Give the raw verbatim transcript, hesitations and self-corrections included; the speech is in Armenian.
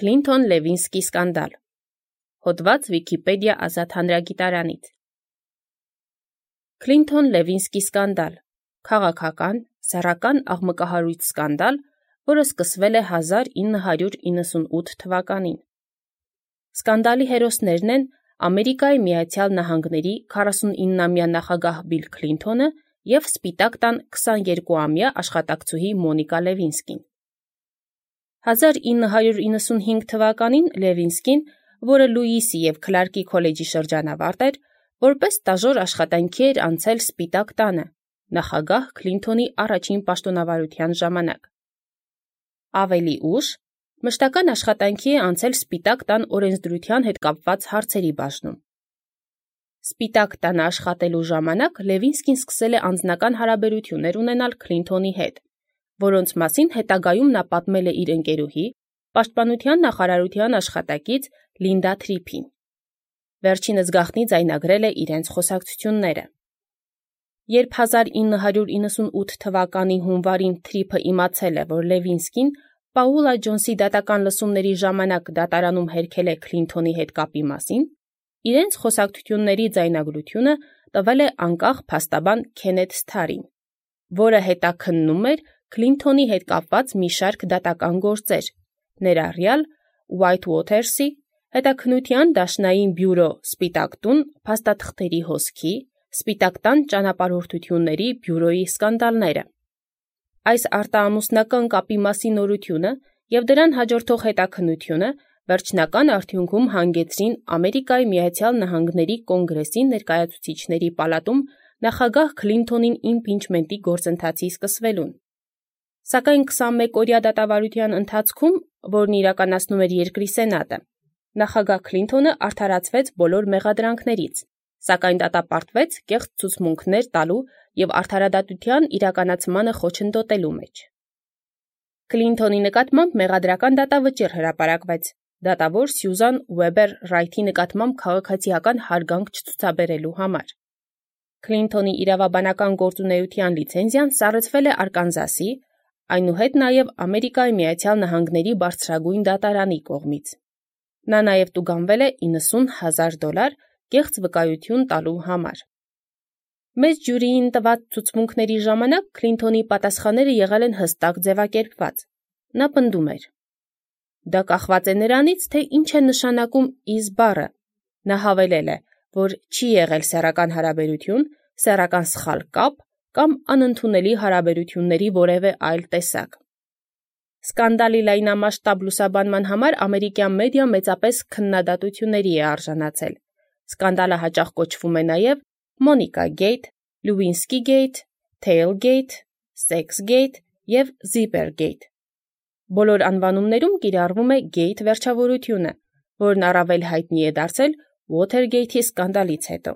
Քլինթոն-Լևինսկի սկանդալ։ Հոդված Վիկիպեդիա ազատ հանրագիտարանից։ Քլինթոն-Լևինսկի սկանդալ, քաղաքական, սեռական աղմկահարույց սկանդալ, որը սկսվել է հազար ինը հարյուր իննսունութ թվականին։ Սկանդալի հերոսներն են Ամերիկայի Միացյալ Նահանգների քառասունիննամյա նախագահ Բիլ Քլինթոնը և Սպիտակ տան քսաներկուամյա աշխատակցուհի Մոնիկա Լևինսկին։ հազար ինը հարյուր իննսունհինգ թվականին Լևինսկին, որը Լուիսի և Քլարկի քոլեջի շրջանավարտ էր, որպես ստաժոր աշխատանքի էր անցել Սպիտակ տանը, նախագահ Քլինթոնի առաջին պաշտոնավարության ժամանակ։ Ավելի ուշ, մշտական աշխատանքի է անցել Սպիտակ տան օրենսդրության հետ կապված հարցերի բաժնում։ Սպիտակ տանը աշխատելու ժամանակ Լևինսկին սկսել է անձնական հարաբերություններ ունենալ Քլինթոնի հետ, որոնց մասին հետագայում նա պատմել է իր ընկերուհի, պաշտպանության նախարարության աշխատակից Լինդա Թրիփին։ Վերջինս գաղտնի ձայնագրել է իրենց խոսակցությունները։ Երբ հազար ինը հարյուր իննսունութ թվականի հունվարին Թրիփը իմացել է, որ Լևինսկին Պաուլա Ջոնսի դատական լսումների ժամանակ դատարանում հերքել է Քլինթոնի հետ կապի մասին, իրենց խոսակցությունների ձայնագրությունը տվել է անկախ փաստաբան Քենեթ Սթարին, որը հետաքննում էր Քլինթոնի հետ կապված մի շարք դատական գործեր, ներառյալ Ուայթ-Ուոթերսի, հետաքննության դաշնային բյուրո Սպիտակ տուն փաստաթղթերի հոսքի, Սպիտակ տան ճանապարհորդությունների բյուրոյի սկանդալները։ Այս արտաամուսնական կապի մասի նորությունը և դրան հաջորդող հետաքննությունը վերջնական արդյունքում հանգեցրին Ամերիկայի Միացյալ Նահանգների Կոնգրեսի ներկայացուցիչների պալատում նախագահ Քլինթոնին իմպիչմենտի գործընթացի սկսվելուն։ Սակայն քսանմեկօրյա դատավարության ընթացքում, որն իրականացնում էր երկրի Սենատը, նախագահ Քլինթոնը արդարացվեց բոլոր մեղադրանքներից, սակայն դատապարտվեց կեղծ ցուցմունքներ տալու և արդարադատության իրականացմանը խոչընդոտելու մեջ։ Քլինթոնի նկատմամբ մեղադրական դատավճիռ հրապարակվեց դատավոր Սյուզան Ուեբեր Ռայթի նկատմամբ քաղաքացիական հարգանք չցուցաբերելու համար։ Քլինթոնի իրավաբանական գործունեության լիցենզիան սառեցվել է Արկանզասի, այնուհետ նաև Ամերիկայի Միացյալ Նահանգների բարձրագույն դատարանի կողմից։ Նա նաև տուգանվել է իննսուն հազար դոլար կեղծ վկայություն տալու համար։ Մեծ ժյուրիին տված ցուցմունքների ժամանակ Քլինթոնի պատասխանները եղել են հստակ ձևակերպված։ Նա պնդում էր. Դա կախված է նրանից, թե ինչ է նշանակում is բառը։ Նա հավելել է, որ չի եղել սեռական հարաբերություն, սեռական սխալ կապ կամ անընդունելի հարաբերությունների որևէ այլ տեսակ։ Սկանդալի լայնամասշտաբ լուսաբանման համար ամերիկյան մեդիան մեծապես քննադատությունների է արժանացել։ Սկանդալը հաճախ կոչվում է նաև Մոնիկա Գեյթ, Լուինսկի Գեյթ, Թեյլ Գեյթ, Սեքս Գեյթ և Զիպեր Գեյթ։ Բոլոր անվանումներում կիրառվում է Գեյթ վերջավորությունը, որն առավել հայտնի է դարձել Ուոթերգեյթի սկանդալից հետո։